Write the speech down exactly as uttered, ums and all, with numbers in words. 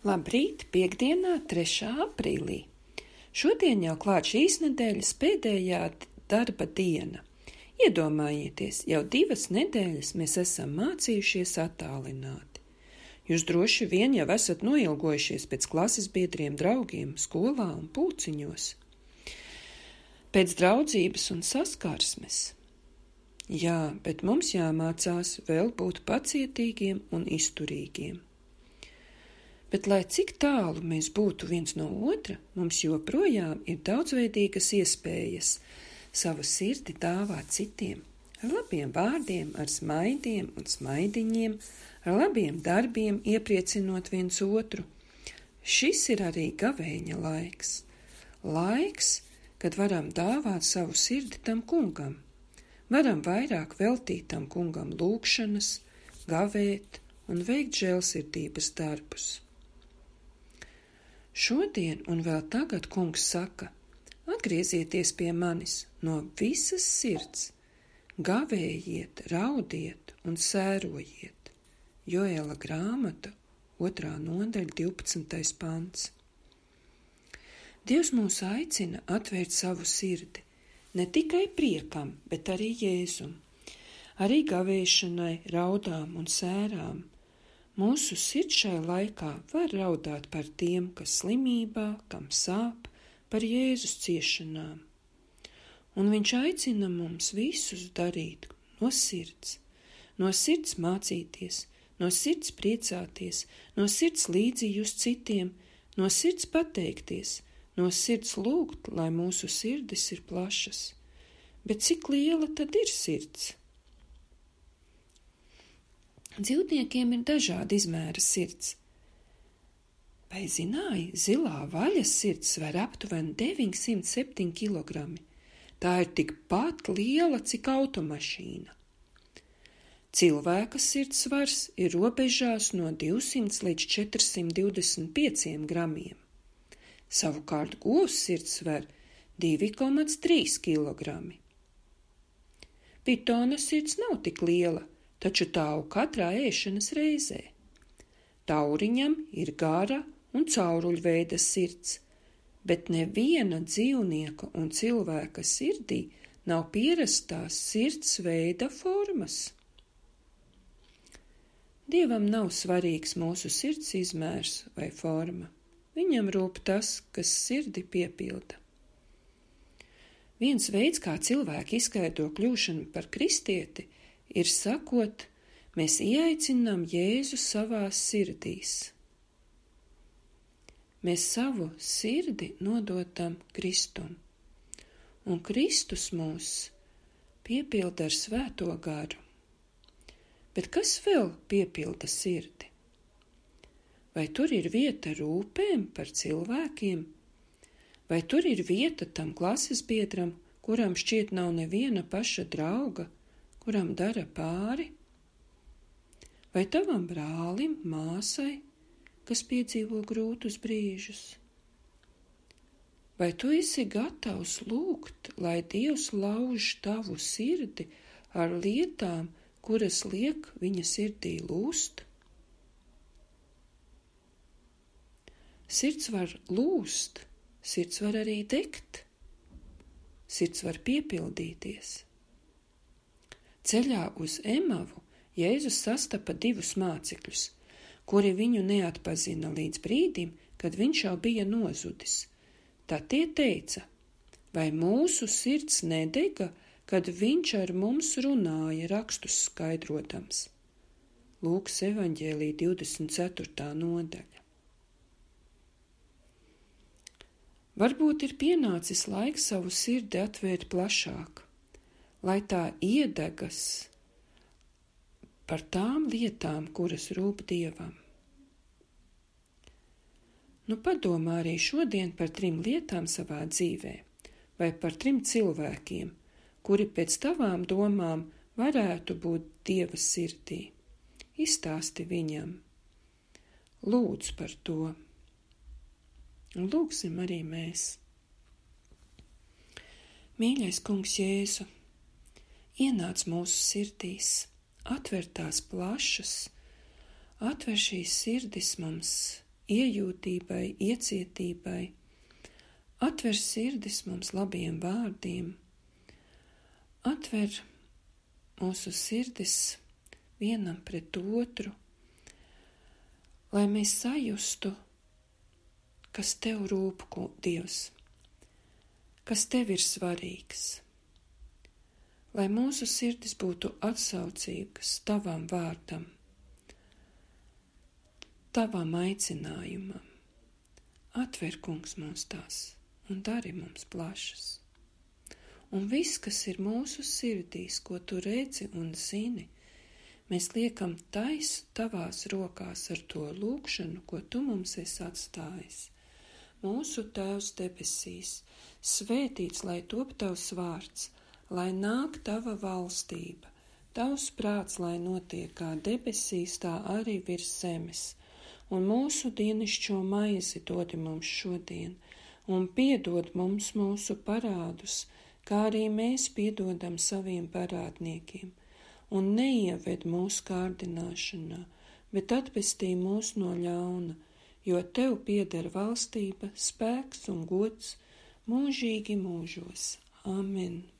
Labrīt, piekdienā, trešā aprīlī. Šodien jau klāt šīs nedēļas pēdējā darba diena. Iedomājieties, jau divas nedēļas mēs esam mācījušies attālināti. Jūs droši vien jau esat noilgojušies pēc klases biedriem, draugiem, skolā un pulciņos. Pēc draudzības un saskarsmes. Jā, bet mums jāmācās vēl būt pacietīgiem un izturīgiem. Bet, lai cik tālu mēs būtu viens no otra, mums joprojām ir daudzveidīgas iespējas savu sirdi dāvāt citiem, ar labiem vārdiem, ar smaidiem un smaidiņiem, ar labiem darbiem iepriecinot viens otru. Šis ir arī gavēņa laiks. Laiks, kad varam dāvāt savu sirdi tam kungam. Varam vairāk veltīt tam kungam lūgšanas, gavēt un veikt žēlsirdības darbus. Šodien un vēl tagad kungs saka, atgriezieties pie manis no visas sirds, gavējiet, raudiet un sērojiet. Joēla grāmata, otrā nodaļa, divpadsmitais pants. Dievs mūs aicina atvērt savu sirdi, ne tikai priekam, bet arī Jēzum, arī gavēšanai, raudām un sērām. Mūsu sirds šai laikā var raudāt par tiem, kas slimībā, kam sāp, par Jēzus ciešanām. Un viņš aicina mums visus darīt no sirds, no sirds mācīties, no sirds priecāties, no sirds līdzi just citiem, no sirds pateikties, no sirds lūgt, lai mūsu sirdis ir plašas. Bet cik liela tad ir sirds? Dzīvniekiem ir dažādi izmēra sirds. Vai zināji, zilā vaļas sirds sver aptuveni deviņsimt septiņi kilogrami. Tā ir tikpat liela, cik automašīna. Cilvēka sirds svars ir robežās no divsimt līdz četrsimt divdesmit pieciem gramiem. Savukārt govs sirds sver divi komats trīs kilogrami. Pitona sirds nav tik liela, taču tāu katrā ēšanas reizē. Tauriņam ir gara un cauruļveida sirds, bet neviena dzīvnieka un cilvēka sirdī nav pierastās sirds veida formas. Dievam nav svarīgs mūsu sirds izmērs vai forma. Viņam rūp tas, kas sirdi piepilda. Viens veids, kā cilvēki izskaidro kļūšanu par kristieti, ir sakot, mēs ieaicinām Jēzu savās sirdīs. Mēs savu sirdi nododam Kristum, un Kristus mūs piepilda ar svēto garu. Bet kas vēl piepilda sirdi? Vai tur ir vieta rūpēm par cilvēkiem? Vai tur ir vieta tam klases biedram, kuram šķiet nav neviena paša drauga, kuram dara pāri? Vai tavam brālim, māsai, kas piedzīvo grūtus brīžus? Vai tu esi gatavs lūgt, lai Dievs lauž tavu sirdi ar lietām, kuras liek viņa sirdī lūst? Sirds var lūst, sirds var arī degt, sirds var piepildīties. Ceļā uz Emavu Jēzus sastapa divus mācekļus, kuri viņu neatpazina līdz brīdim, kad viņš jau bija nozudis. Tad tie teica, vai mūsu sirds nedega, kad viņš ar mums runāja rakstus skaidrotams. Lūkas evaņģēlija divdesmit ceturtā nodaļa. Varbūt ir pienācis laiks savu sirdi atvērt plašāk, lai tā iedegas par tām lietām, kuras rūp Dievam. Nu padomā arī šodien par trim lietām savā dzīvē, vai par trim cilvēkiem, kuri pēc tavām domām varētu būt Dieva sirdī. Izstāsti viņam. Lūdz par to. Un lūgsim arī mēs. Mīļais kungs Jēzu, ienāc mūsu sirdīs, atver tās plašas, atver šīs sirdis mums iejūtībai, iecietībai. Atver sirdis mums labiem vārdiem, atver mūsu sirdis vienam pret otru, lai mēs sajustu, kas tev rūp, Dievs, kas tev ir svarīgs, lai mūsu sirdis būtu atsaucīgas tavam vārdam, tavam aicinājumam. Atver, Kungs, mūs tās un dari mums plašas. Un viss, kas ir mūsu sirdīs, ko tu redzi un zini, mēs liekam tais tavās rokās ar to lūgšanu, ko tu mums esi atstājis. Mūsu Tēvs debesīs, svētīts, lai top tavs vārds, lai nāk tava valstība, tavs prāts, lai notiek kā debesīs, tā arī virs zemes. Un mūsu dienišķo maizi dodi mums šodien, un piedod mums mūsu parādus, kā arī mēs piedodam saviem parādniekiem, un neieved mūsu kārdināšanā, bet atpestī mūs no ļauna, jo tev pieder valstība, spēks un gods mūžīgi mūžos. Amen.